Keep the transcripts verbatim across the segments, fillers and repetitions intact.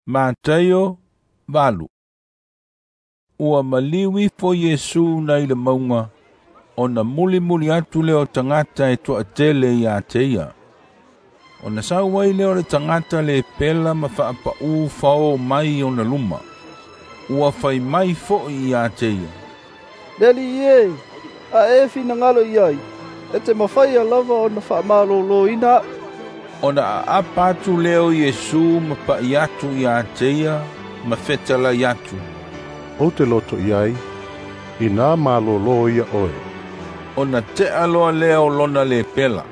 Mataio valu. Ua maliu ifo Iesu nai le mauga, ona mulimuli atu lea o tagata e toatele ia te ia. Ona sau ai lea o le tagata lepela ma faapaū fao mai ona luma. Ua fai mai foi ia te ia, “Le Alii e, a e finagalo i ai, e te mafaia lava ona faamalōlōina aʻu.” Ona aapa atu lea o Iesu ma pa'i atu ia te ia ma fetalai atu, “Ou te loto i ai, inā malōlō ia oe.” Ona te'a loa lea o lona lepela.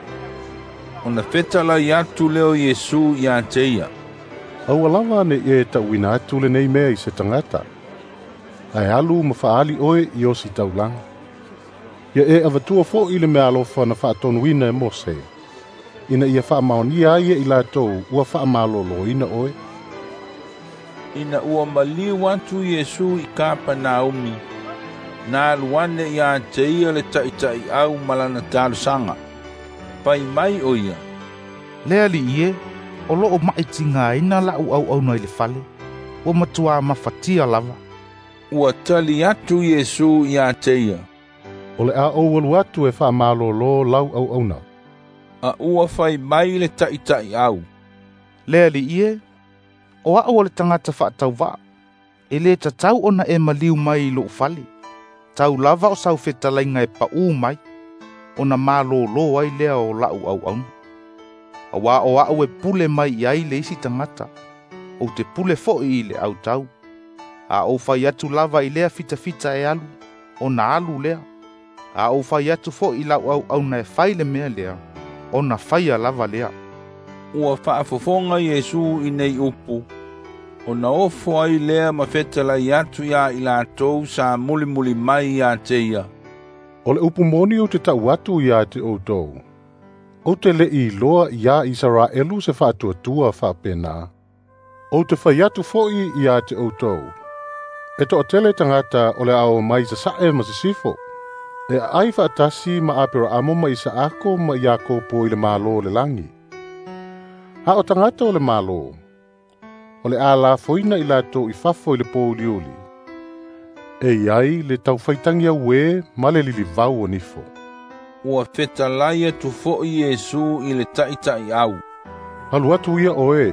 Ona fetalai atu lea o Iesu ia te ia, “Aua lava ne'i e ta'uina atu lenei mea i se tagata, ae alu ma fa'aali oe i ositaulaga. Ia e avatua fo'i le meaalofa na fa'atonuina e Mose, ina ia fa'amaonia ai e i latou ua fa'amalōlōina oe.” Ina ua maliu atu Iesu i Kapanaumi, na alu ane ia te ia le ta'ita'i'au ma lana talosaga. Fai mai o ia, “Le Alii e, o lo'o ma'i tigāina la'u auauna i le fale, ua matuā mafatia lava.” Ua tali atu Iesu ia te ia, “O le a ou alu atu e fa'amalōlō lau auauna.” A ua fai mai le ta'ita'i'au, “Le Alii e, o a'u o le tagata fa'atauva'a, e lē tatau ona e maliu mai i lo'u fale. Tau lava o sau fetalaiga e paʻū mai, ona malōlō ai lea o la'u auauna. Auā o a'u e pule mai i ai le isi tagata, ou te pule fo'i i le autau. A ou fai atu lava i lea fitafita e alu, ona alu lea. A ou fai atu fo'i i la'u auauna e fai le mea lea, ona faia lava lea.” Ua faafofoga Iesu i nei upu, ona ofo ai lea ma fetalai atu iā i latou sa mulimuli mai ia te ia, “O le upu moni ou te ta'u atu iā te ʻoutou, ou te le'i iloa iā Isaraelu se fa'atuatua fa'apenā. Ou te fai atu fo'i iā te ʻoutou, e to'atele tagata o le a oo mai sasa'e ma sisifo, e a'ai fa'atasi ma Apera'amo ma Isa'ako ma Iakopo i le Mālō o le lagi. A o tagata o le Mālō, o le a lafoina i latou i fafo i le pouliuli, e i ai le taufaitagi auē ma le lilivau o nifo.” Ua fetalai atu fo'i Iesu i le ta'ita'i'au, “Alu atu ia oe,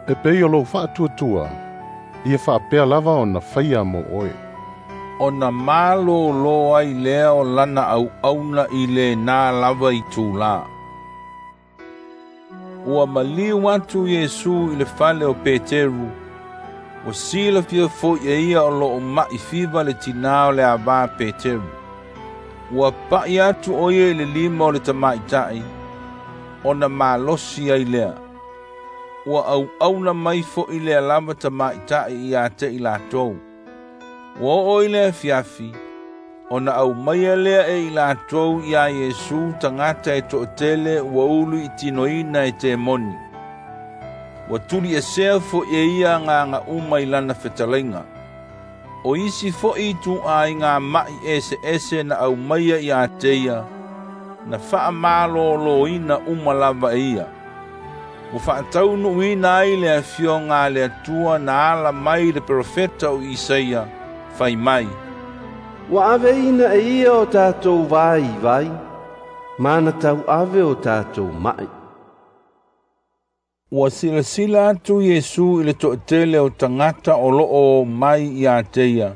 e pei o lou fa'atuatua, ia fa'apea lava ona faia mo oe.” Ona malōlō ai lea o lana auauna i lenā lava itulā. Ua maliu atu Iesu i le fale o Peteru, ua silafia fo'i e ia o lo'o ma'i fiva le tinā o le avā Peteru. Ua pa'i atu o ia i le lima o le tamaita'i, ona malosi ai lea. Ua auauna mai fo'i lea lava tamaita'i ia te i latou. Ua oo i le afiafi, ona aumaia lea e i latou iā Iesu tagata e to'atele ua ului'itinoina e temoni. Ua tuli'esea fo'i e ia agaga uma i lana fetalaiga. O isi fo'i itu'āiga ma'i eseese na aumaia ia te ia, na fa'amalōlōina uma lava e ia. Ua fa'ataunu'uina ai le afioga a le Atua na ala mai i le perofeta o Isaia, fai mai, “Ua aveina e ia o tatou vaivai, ma na tau'ave o tatou ma'i.” Ua silasila atu Iesu i le to'atele o tagata o lo'o o mai ia te ia,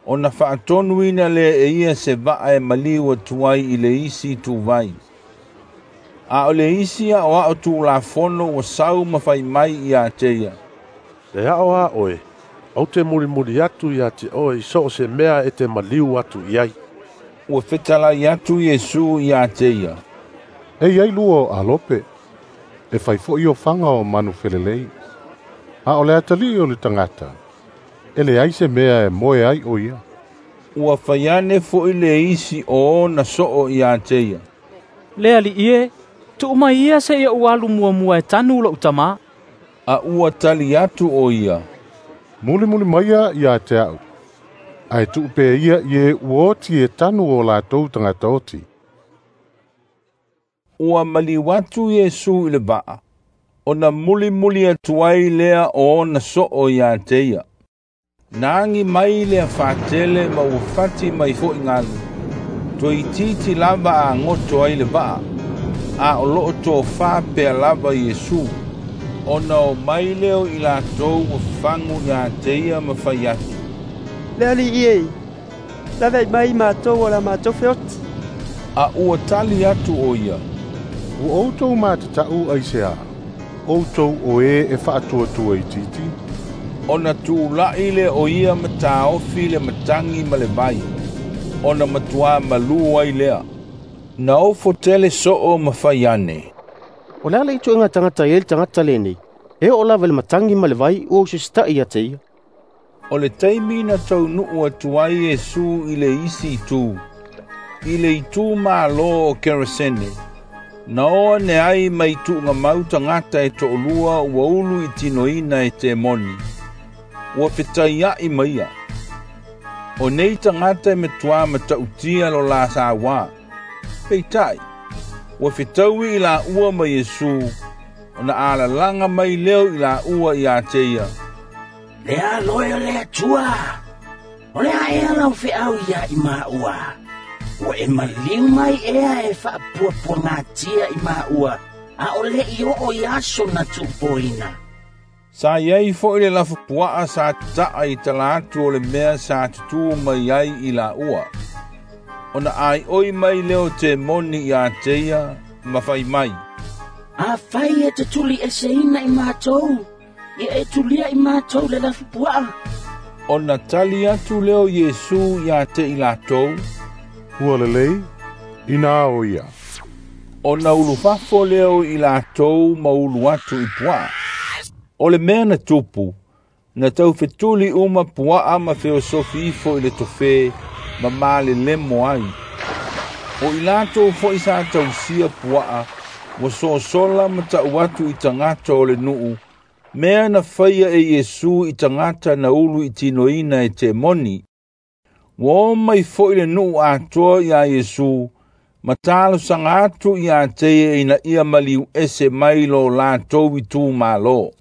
ona fa'atonuina lea e ia se va'a e maliu atu ai i le isi ituvai. A o le isi a'oa'o tulafono ua sau ma fai mai ia te ia, “E a'o a oe, ou te mulimuli atu iā te oe i so o se mea e te maliu atu i ai.” Ua fetalai atu Iesu ia te ia, “E i ai lua o alope, e fai fo'i ofaga o manu felelei, a o le atali'i o le tagata, e leai se mea e moe ai o ia.” Ua fai ane fo'i le isi o ona so'o ia te ia, “Le Alii e, tu'u mai ia se'i ou alu muamua e tanu lo'u tamā.” A ua tali atu o ia, “Mulimuli maia iā te a'u, ae tu'u pea ia i e ua oti e tanu o latou tagata oti.” Ua maliu atu Iesu i le va'a, Ona mulimuli atu ai lea o ona soo ia te ia. Na agi mai le afatele ma ua fati mai fo'i galu, toeitiiti lava agoto ai le vaa, a o loo tofā pea lava Iesu. Ona o mai lea o i latou ua fagu ia te ia ma fai atu, “Le Alii e, laveai mai i matou o le a matou feoti.” A ua tali atu o ia, “Ua outou matata'u aiseā, outou o e e faatuatua itiiti?” Ona tula'i lea o ia ma taofi le matagi ma le vai, ona matuā malū ai lea. Na ofo tele soo ma fai ane, “O le a le ituaiga tagata e i ai le tagata lenei? E oo lava i le matagi ma le vai ua usita'i ia te ia.” O le taimi na taunuu atu ai Iesu i le isi itu, i le itu malo o Kerasene, na o ane ai mai tuugamau tagata e toalua ua ulu i tinoina e temoni, ua fetaia'i ma ia. O nei tagata e matuā matautia lo la sauā. Peitai, ua fetaui i laua ma Iesu, ona alalaga mai leo i laua ia te ia, “Le alo e o le Atua, o le a ea lau feau ia i maua? Ua e maliu mai ea e faapuapuagatia i maua, a o le'i oo i aso na tuupoina?” Sa iai fo'i le lafupuaa sa ta'a i tala atu o le mea sa tutū mai ai i laua. Ona aioi mai lea o temoni ia te ia ma fai mai, “Afai e te tuliꞌeseina i matou, ia e tulia i matou le lafupuaa.” Ona tali atu lea o Iesu ia te i latou, “Ua lelei, inā o ia.” Ona ulufafo lea o i latou ma ulu atu i puaa. O le mea na tupu, na taufetuli uma puaa ma feosofi ifo i le tofe ma malelemo ai. O i latou fo'i sa tausia puaa, ua sosola ma ta'u atu i tagata o le nuu, mea na faia e Iesu i tagata na ulu i tinoina e temoni. Ua o mai fo'i le nuu atoa iā Iesu, ma talosaga atu ia te ia ina ia maliu ese mai lo latou itumalo.